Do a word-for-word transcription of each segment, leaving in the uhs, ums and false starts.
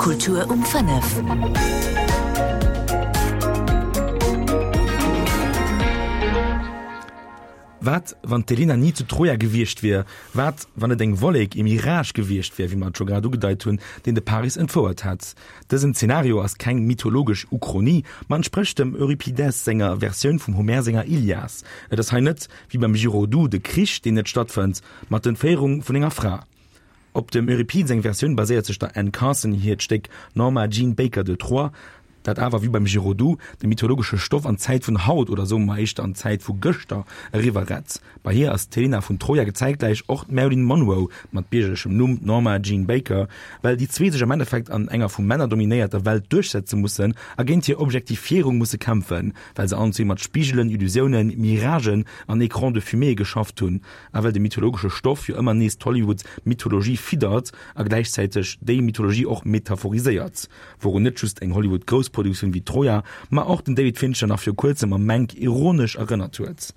Kultur um fënnef. Wat, wann d'Helena ni zu Troja gewiescht wier? Wat, wann et eng Wollek, ee Mirage gewiescht wier, wéi mer et scho grad ugedeit hunn, deen de Paris entfouert hätt? Dësen Zenario ass keng mythologesch Uchronie, ma entsprécht dem Euripides senger Versioun vum Homer senger Ilias. Et ass hei net, wéi beim Giraudoux, de Krich, deen net stattfënnt, ma d'Entféierung vun enger Fra. Op dem Euripide seng Versioun baséiert sech der Anne Carson hiert Stéck Norma Jean Baker de Troy, dat awer wéi beim Giraudoux de mythologesche Stoff an d'Zäit vun haut, oder soe mer éischter an d'Zäit vu gëschter, eriwwer rett. Bei hir ass d'Helena vun Troja zäitgläich och d'Marilyn Monroe, mat biergerlechem Numm Norma Jean Baker, well déi zwee sech am Endeffekt an enger vu Männer dominéierter Welt duerchsetze mussen a géint hir Objektifierung musse kämpfen, well se allen zwee mat Spigelen, Illusiounen, Miragen an Écrans de fumée geschafft hunn a well de mythologesche Stoff jo ëmmer nees d'Hollywood-Mythologie fiddert a gläichzäiteg déi Mythologie och metaphoriséiert, wourun net just eng Hollywood-Groussproduktioun wéi Troja, ma och den David Fincher nach viru kuerzem am Mank ironesch erënnert huet.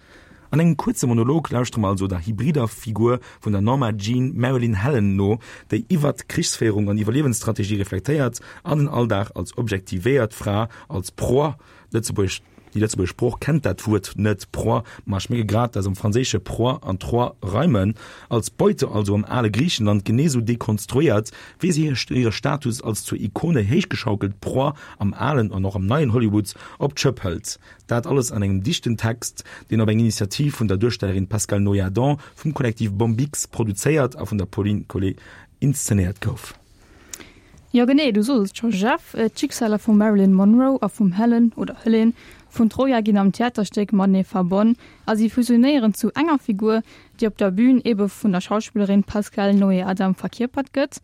An engem kuerze Monolog lauschtere mer also der hybrider Figur vun der Norma Jean Marilyn Helen no, déi iwwert Krichsféierung an Iwwerliewensstrategie reflektéiert an den Alldag als objektivéiert Fra, als Proie, Lëtzebuergesch, déi lëtzebuergesch Sprooch kennt dat Wuert net, Proie, ma ech mierke grad, dass am Franséische proie an Troie reimen, als Beute also am ale Griichenland genee sou dekonstruéiert, wéi se hire Status als zur Ikone héichgeschaukelt Proie am alen an och am neien Hollywood op d'Schëpp hëlt. Dat alles an engem dichten Text, deen op eng Initiativ vun der Duerstellerin Pascale Noyadon vum Kollektiv Bombix produzéiert a vun der Pauline Collet inszenéiert gouf. Jo genee, du sos et scho Jeff, d'Schicksaler vum Marilyn Monroe a vum Helen, oder Helene, vun Troja ginn am Theaterstéck matenee verbonn a si fusionéieren zu enger Figur, déi op der Bün ebe vun der Schauspillerin Pascale Noé-Adam verkierpert gëtt.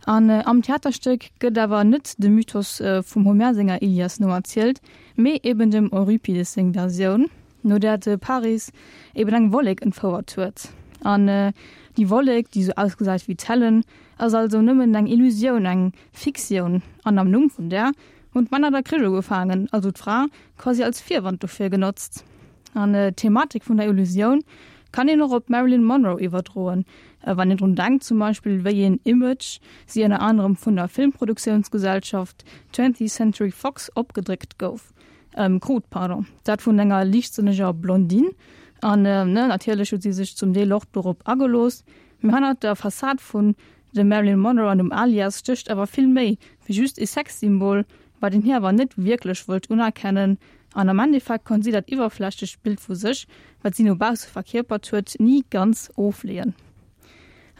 An am Theaterstéck gëtt awer net de Mythos vum Homer senger Ilias noerzielt, mee eben dem Euripides seng Versioun, no där de Paris eben eng Wollek entfouert huet. An déi Wollek, déi sou ausgesäit wéi d'Helen, ass also nëmmen eng Illusioun, eng Fiktioun. An am Numm vun där hunn d'Männer da Krich ugefaangen, also d'Fra quasi als Virwand dofir genotzt. An d'Thematik vun der Illusioun kann een och op d'Marilyn Monroe iwwerdroen, wann een drun denkt zum Beispill wéi een Image si ënner anerem vun der Filmproduktiounsgesellschaft Twentieth Century Fox opgedréckt gouf, krut, pardon, dat vun enger liichtsënneger Blondine. An natierlech huet si sech zum Deel och dorop agelooss, mee hannert der Fassad vun dem Marilyn Monroe an dem Alias stécht awer vill méi wéi just ee Sexsymbol, wat een hir awer net wierklech wollt unerkennen. An am Endeffekt konnt si dat iwwerflächlecht Bild vu sech, wat si no bausse verkierpert huet, ni ganz ofleeën.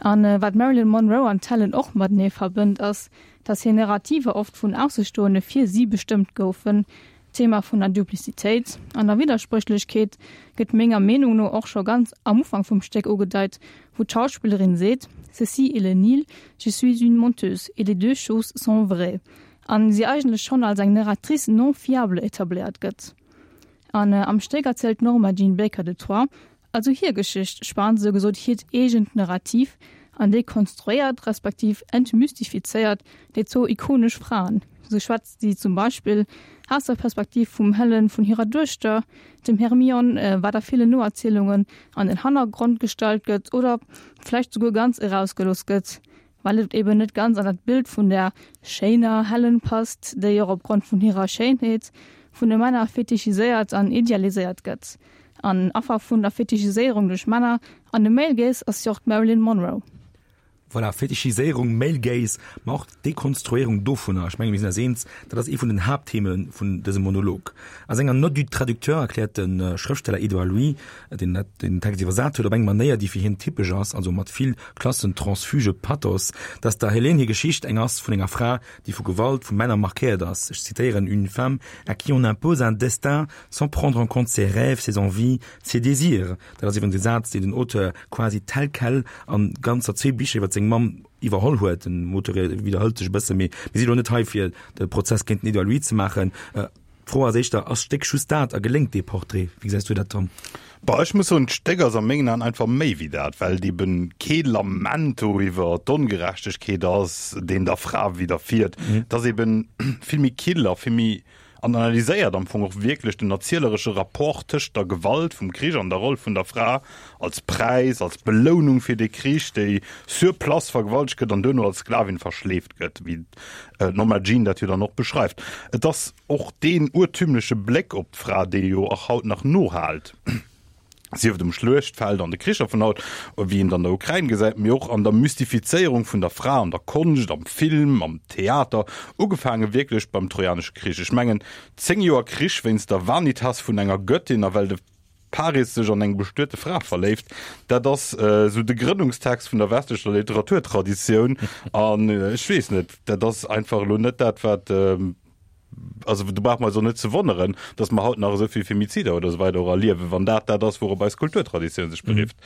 A wat d'Marilyn Monroe an d'Helen och matenee verbënnt, ass, datt hir Narrativer oft vun Aussestoende fir si bestëmmt goufen. D'Thema vun der Duplicitéit an der Widderspréchlechkeet gëtt menger Meenung no och scho ganz am Ufank vum Stéck ugedeit, wou d'Schauspillerin seet, Ceci est le Nil, je suis une menteuse, et les deux choses sont vraies an si eigentlech schonn als eng Narratrice non fiable etabléiert gëtt. An am Stéck erzielt d'Norma Jean Baker de Troy also hir Geschicht, spaant esou gesot hiert eegent Narrativ an dekonstruéiert respektiv entmystifizéiert déi zwou ikonesch Fraen. Sou schwätzt si zum Beispill aus der Perspektiv vum Helen vun hirer Duechter, dem Hermione, wat a villen Noerzielungen an den Hannergrond gestallt gëtt oder vläicht souguer ganz erausgelooss gëtt, well et eben net ganz an dat Bild vun der schéiner Helen passt, déi och opgrond vun hirer Schéinheet vun de Männer fetichiséiert an idealiséiert gëtt. An Affer vun der Fetichiséierung duerch Männer an de Male Gaze ass jo och d'Marilyn Monroe. Voilà, Fetichiséierung, Male Gaze, ma och d'Dekonstruéierung dovunner. Ech menge mir sinn eis eens, dat ass ee vun den Haapttheme vun dësem Monolog. A senger Note du traducteur erkläert de Schrëftsteller Edouard Louis, deen dat den Text iwwersat huet, op eng Manéier, déi fir hien typesch ass, also mat vill klassentransfuge Pathos, dass der Helene hir Geschicht eng ass vun enger Fra, déi vu Gewalt vu Männer markéiert ass. Ech zitéieren, Une femme à qui on impose un destin sans prendre en compte ses rêves, ses envies, ses désirs. Dat ass iwwregens e Saz, deen den Auteur quasi tel quel an ganzer zwee Bicher iwwer seng Mamm iwwerholl huet. Den Auteur widderhëlt sech e bësse, mee mir si lo net hei fir de Prozess géint den Edouard Louis ze maachen. D'Fro ass éischter, Ass d'Stéck just dat a geléngt dee Portrait? Wéi gesäis du dat, Tom? Bah, ech muss soen, d'Stéck ass a mengen Aen einfach méi wéi dat, well et eben kee Lament doriwwer d'Ongerechtegkeet ass, deen der Fra widderfiert. Et ass eben vill méi kill a vill méi an analyséiert am Fong och wierklech den erzieleresche Rapport tëscht der Gewalt vum Krich an der Roll vun der Fra als Präis, als Belounung fir dee Krich, déi sur place vergewaltegt gëtt an duerno als Sklavin verschleeft gëtt, wéi d'Norma Jean dat jo dann och beschreift. Et ass och deen urtümleche Bléck op d'Fra, dee jo och haut nach nohaalt. Sief et um Schluechtfeld an de Kricher vun haut, wéi een et an der Ukrain gesäit, mee och an der Mystifizéierung vun der Fra an der Konscht, am Film, am Theater, ugefaange wierklech beim Trojanesche Krich. Ech mengen, zéng Joer Krich wéinst der Vanitas vun enger Göttin a well de Paris sech an eng bestuete Fra verléift, dat ass esou de Grënnungstext vun der westlecher Literaturtraditioun. An ech weess net, dat ass einfach elo net dat, wat. Also do brauche mer eis och net ze wonneren, datt mer haut nach esou vill Femizider oder esou weider och erliewen, wann dat dat ass, wourop eis Kulturtraditioun sech berifft.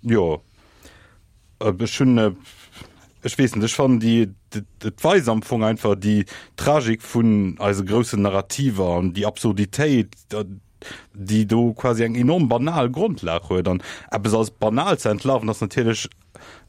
Jo, ech hunn, ech weess net, ech fannen déi, et weist am Fong einfach déi Tragik vun eise groussen Narrativer an déi Absurditéit, déi do quasi eng enorm banal Grondlag huet. An eppes als banal ze entlarven, ass natierlech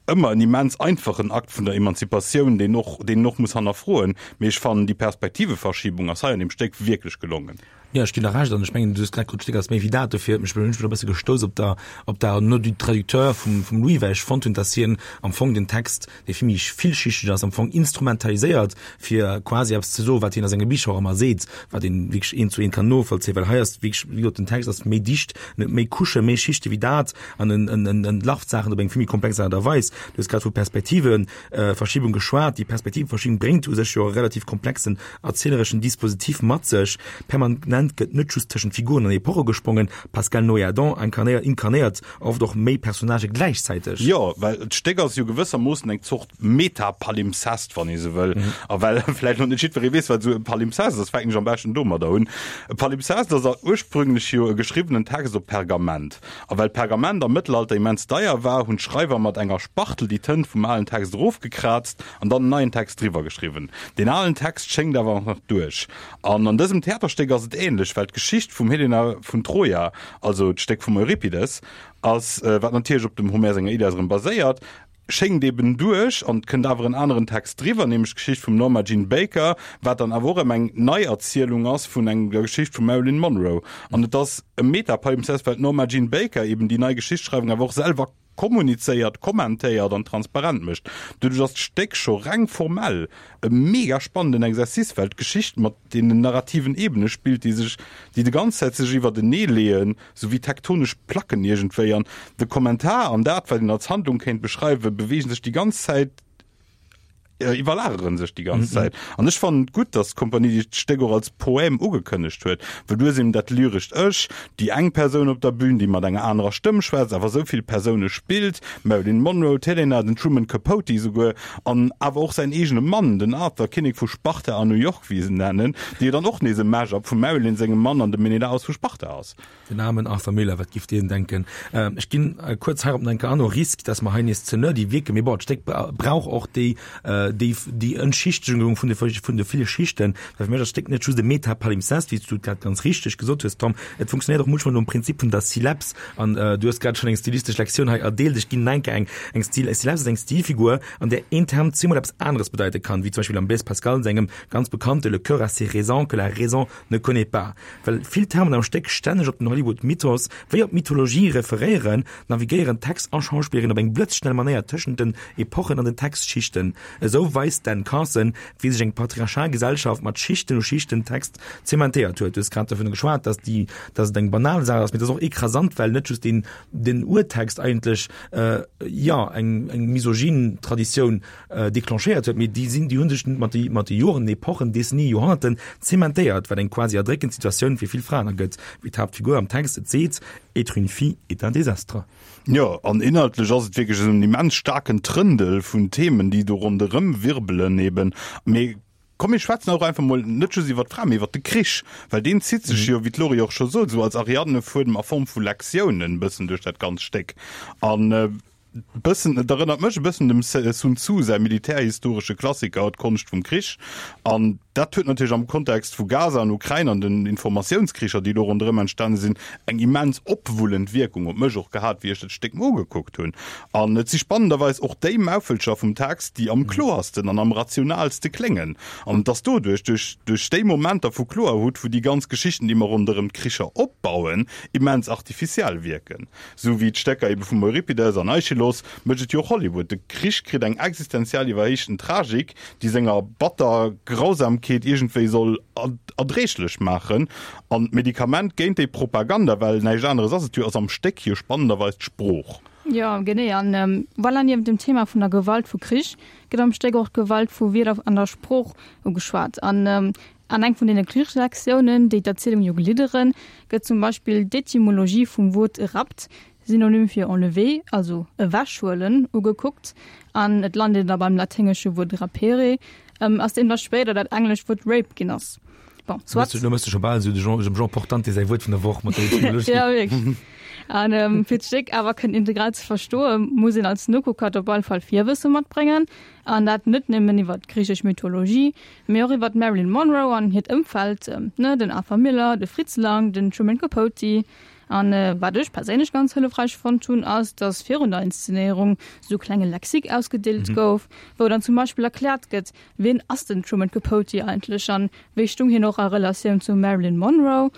ëmmer en immens einfachen Akt vun der Emanzipatioun, deen och, deen een och muss hannerfroen. Mee ech fannen, déi Perspektiveverschiebung ass hei an deem Stéck wierklech gelongen. Jo, ech ginn der Recht an ech mengen, du hues grad gesot, d'Stéck ass méi wéi dat. Dofir huet mech, hunn ech mech e bësse gestouss op der, op der Note du traducteur vum, vum Louis, well ech fonnt hunn, dass hien am Fong den Text, dee vill méi villschichteg ass, am Fong instrumentaliséiert, fir quasi eppes ze soen, wat hien a senge Bicher och ëmmer seet, wat een wierklech eent zu eent kann novollzéien, well hei ass wierklech, wéi gesot, den Text ass méi dicht, en huet méi Couchen, méi Schichte wéi dat an en, en, en entlarvt Saachen op eng vill méi komplex Aart a Weis. Du hues grad vu Perspektiveverschiebung geschwat. Déi Perspektiveverschiebung bréngt u sech jo e relativ komplexen erzielereschen Dispositif mat sech. Permanent gëtt net just tëschent Figuren an Epoche gesprongen, d'Pascale Noyadon inkarnéiert, inkarnéiert oft och méi Personnagë gläichzäiteg. Jo, well d'Stéck ass jo gewëssermoossen eng Zort Meta-Palimpsest, wann ee sou wëll. A well vläicht nach net jiddweree weess, wat esou e Palimpsest ass, fänken ech am beschten domadder un. E Palimpsest ass ursprünglech jo e geschriwwenen Text op Pergament. A well Pergament am Mëttelalter immens deier war, hunn d'Schreiwer mat enger Spachtel déi Tënt vum alen Text erofgekraazt an dann en neien Text driwwer geschriwwen. Deen alen Text schéngt awer nach duerch. An an dësem Theaterstéck ass et änlech, well d'Geschicht vum Helena vun Troja, also d'Stéck vum Euripides, ass, wat natierlech op dem Homer senger Ilias erëm baséiert, schéngt eben duerch an et kënnt awer en aneren Text driwwer, nämlech d'Geschicht vum Norma Jean Baker, wat dann awer och erëm eng Neierzielung ass vun eng der Geschicht vum Marilyn Monroe. An et ass e Metapalimpsest, well d'Norma Jean Baker eben déi nei Geschichtsschreiwung awer och selwer kommunizéiert, kommentéiert an transparent mécht. Doduerch ass d'Stéck scho reng formell e mega spannenden Exercice, well d'Geschicht mat deenen narrativen Ebene spillt, déi sech, déi de ganz Zäit sech iwwertenee leeën, sou wéi tektonesch Placken iergendwéi. An de Kommentar an dat, wat een als Handlung kéint beschreiwen, beweegen sech déi ganz Zäit, iwwerlagere sech déi ganz Zäit. An ech fannen et gutt, datt d'Kompanie déi d'Stéck och als Poème ugekënnegt huet, well du hues eben dat lyrescht Ech, déi eng Persoun op der Bühn, déi mat enger anerer Stëmm schwätzt, awer esou vill Persoune spillt, d'Marilyn Monroe, d'Helena, den Truman Capote esouguer, an awer och säin eegene Mann, den Arthur, Kinnek vu Sparta an New York, wéi se en nennen, dee jo dann och nees e Mash-up vum Marilyn sengem Mann an dem Menelaos vu Sparta ass. Den aarmen Arthur Miller, wat giff deen denken? Ech ginn kuerz heirop nach eng Kéier an, au risque, dass mer hei nees ze nerdy wierken, mee bon, d'Stéck brauch och déi, déi, déi Entschichtegung vun de, vun de ville Schichten, well fir mech ass d'Stéck net just e Metapalimpsest, wéi s du et grad ganz richteg gesot hues, Tom, et funktionéiert och munchmol nom Prinzip vun der Sylepse an du hues grad schonn eng stilistesch Lektioun hei erdeelt, ech ginn nach eng Kéier eng, eng Stil, Sylepse ass eng Stilfigur, an där een Term zweemol eppes aneres bedeite kann, wéi zum Beispill am Blaise Pascal sengem ganz bekannte Le cœur a ses raisons que la raison ne connaît pas. Well vill Termen am Stéck stänneg op den Hollywood-Mythos wéi op d'Mythologie referéieren, navigéieren Text a Schauspillerin op eng blëtzschnell Manéier tëschent den Epochen an den Textschichten. Esou weist d'Anne Carson, wéi sech eng patriarchal Gesellschaft mat Schichten u Schichten Text zementéiert huet. Du hues grad dovun geschwat, dass déi, dass et eng banal Saach ass, mee et ass och ekrasant, well net just den, den Urtext eigentlech, jo, eng, eng misogyn Traditioun declenchéiert huet, mee déi sinn, déi hu sech mat de, mat de Joren, Epochen, Décennie, Joerhonnerten zementéiert, wat eng quasi erdréckend Situatioun fir vill Fraen ergëtt, wéi d'Haaptfigur am Text et seet, Être une fille est un désastre. Jo, an inhaltlech ass et wierklech esou en immens staarken Trëndel vun Themen, déi do ronderëm wirbelen eben. Mee komm mir schwätzen och einfach mol net just iwwer d'Fra, mee iwwer de Krich, well deen zitt sech jo, wéi d'Laurie och scho sot, esou als Ariadnefuedem a Form vu Lektiounen e bëssen duerch dat ganz Stéck. An bëssen, et erënnert mech e bëssen dem Sun Tzu säi militärhistoresche Klassiker D'Konscht vum Krich. An dat huet natierlech am Kontext vu Gaza an Ukrain an den Informatiounskricher, déi do ronderëm entstane sinn, eng immens opwullend Wierkung op mech och gehat, wéi ech dat Stéck mer ugekuckt hunn. An et si spannenderweis och déi Maufelcher vum Text, déi am kloersten an am rationalste kléngen. An et ass doduerch, duerch, duerch déi Momenter vu Kloerhut, wou déi ganz Geschichten, déi mer ronderëm d'Kricher opbauen, immens artificiell wierken. Sou wéi d'Stécker ebe vum Euripides an Aischylos mécht et jo och Hollywood. De Krich kritt eng existenziell iwwerhéichten Tragik, déi senger batter Grausamkeet iergendwéi soll erdréiglech maachen. An d'Medikament géint déi Propaganda, well näischt aneres ass et jo, ass am Stéck jo spannenderweis d'Sprooch. Jo, genee. An voilà, niewent dem Thema vun der Gewalt vu Krich gëtt am Stéck och d'Gewalt vu Wierder an der Sprooch ugeschwat. An An eng vun deene Krichslektiounen, déi d'Erzielung jo glidderen, gëtt zum Beispill d'Etymologie vum Wuert rapt, Synonym fir enlever, also ewechhuelen, ugekuckt, an et lant een da beim laténgesche Wuert rapere, aus deem da spéider dat englescht Wuert rape ginn ass. Bon, soit. Lo mëss de scho bal esou de Jean, dem Jean Portante säi Wuert vun der Woch mat der Etymologie. Ja, wierklech. An fir d'Stéck awer kënnen integral ze verstoen, muss een als Nokucker op alle Fall Virwësse matbréngen. An dat net nëmmen iwwer d'griichesch Mythologie, mee och iwwer d'Marilyn Monroe an hiert Ëmfeld, ne, den Arthur Miller, de Fritz Lang, den Truman Capote. An wat ech perséinlech ganz hëllefräich fonnt hunn, ass, dass virun der Inszenéierung esou klenge Lexique ausgedeelt gouf, wou dann zum Beispill erkläert gëtt, wien ass den Truman Capote eigentlech an wéi stung hien och a Relatioun zum Marilyn Monroe,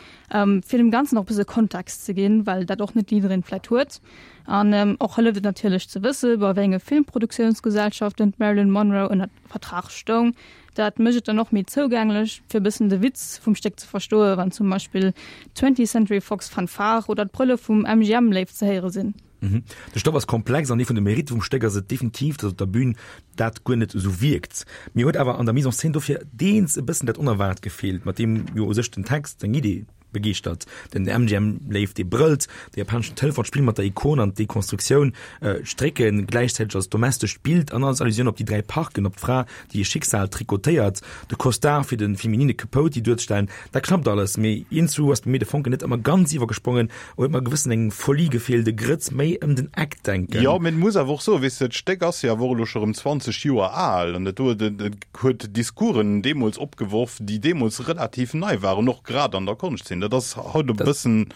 fir dem Ganzen och e bësse Kontext ze ginn, well dat och net jiddereen vläit huet. An och hëlleft et natierlech ze wësse bei wéi enge Filmproduktiounsgesellschaften d'Marilyn Monroe ënner Vertrag stoung. Dat mécht et dann och méi zougänglech, fir e bëssen de Witz vum Stéck ze verstoen, wann zum Beispill d'Twentieth Century Fox Fanfare oder d'Brëlle vum M G M-Léiw ze héiere sinn. De Stoff ass komplex an ee vun de Meritte vum Stéck ass et definitiv, datt op der Bün dat guer net esou wierkt. Mir huet awer an der Mise en scène dofir deels e bëssen dat Onerwaart gefeelt, mat deem jo u sech den Text, seng Idee begeeschtert. Den M G M-Léiw, dee brëllt, de japaneschen Telefon, d'Spill mat der Ikon an d'Dekonstruktioun, d'Strécken gläichzäiteg als domestescht Bild an als Allusioun op déi dräi Parken, op d'Fra, déi hir Schicksal trikotéiert, de Costard fir de feminine Capote duerzestellen, dat klappt alles, mee iergendzwou ass bei mir de Fonken net ëmmer ganz iwwergesprongen, huet mer e gewëssen eng Folie gefeelt, e Grëtz méi ëm den Eck denken. Jo, mee et muss awer och soen, weess de, d'Stéck ass jo awer och elo scho rëm zwanzeg Joer al an dat do, et huet Discoursen deemools opgeworf, déi deemools relativ nei waren, och grad an der Konschtzeen. Dat ass haut e bëssen,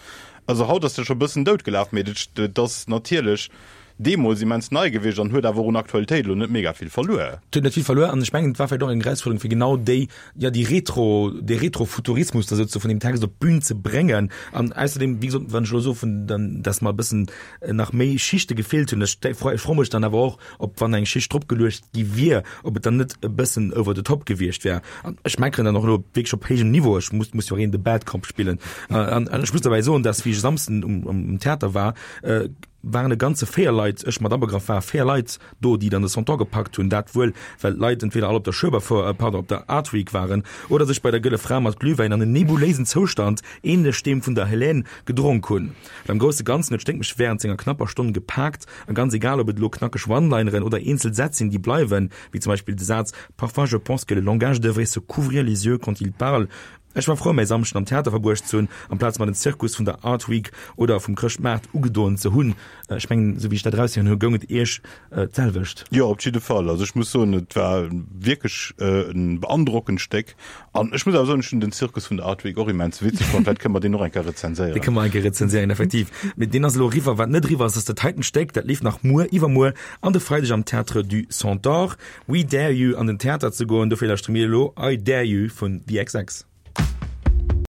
also haut ass dat scho e bëssen doutgelaf, mee dat ass natierlech deemools immens nei gewiescht an huet awer och un Aktualitéit elo net mega vill verluer. Et huet net vill verluer an ech mengen, et war vläicht och eng Erausfuerderung, fir genau déi, jo, déi Retro, dee Retrofuturismus da souze vun deem Text op d'Bün ze bréngen. An ausserdeem, wéi gesot, wann ech elo soe vun den, dass mer e bëssen nach méi Schichte gefeelt hunn, ech ech froe mech dann awer och, ob wann eng Schicht dropgeluecht gi wier, ob et dann net e bëssen over the top gewiescht wär. An ech meckeren dann och elo wierklech op héijem Niveau, ech muss, muss jo och een de Bad Cop spillen. An ech muss derbäi soen, dass wéi ech e Samsden um, um Theater war, waren e ganze véier Leit, ech mat abegraff, ware véier Leit do, déi dann de Centaure gepackt hunn. Dat wuel, well d'Leit entweder all op der Schueberfouer, pardon, op der Art Week waren oder sech bei der Gëlle Fra mat Glühwäin an en nebuléisen Zoustand, ähnlech deem vun der Hélène, gedronk hunn. Well am grousse Ganzen huet d'Stéck mech während senger knapper Stonn gepaakt a ganz egal, ob et elo knackeg One-Lineren oder eenzel Sätz sinn, déi bleiwen, wéi zum Beispill de Saz Parfois je pense que le langage devrait se couvrir les yeux quand il parle, Ech war frou mäi Samschden am Theater verbruecht ze hunn, amplaz mer den Zirkus vun der Art Week oder vum Chrëschtmaart ugedoen ze hunn. Ech mengen, esou wéi ech dat eraushéieren hu, goung et Iech d'selwecht. Jo, op jidde Fall. Also ech muss soen, et war wierklech e beandrockend Stéck. An ech muss awer soen, ech hunn den Zirkus vun der Art Week och immens witzeg fonnt. Vläicht kënne mer deen och eng Kéier rezenséieren. Dee kënne mer eng Kéier rezenséieren, effektiv. Mee deen ass elo eriwwer. Wat net eriwwer ass, ass dat heiten Stéck. Dat leeft nach muer, iwwermuer an de Freideg am Théâtre du Centaure. We dare you an den Theater ze goen. Dofir lauschtere mir elo I Dare You vun The xx.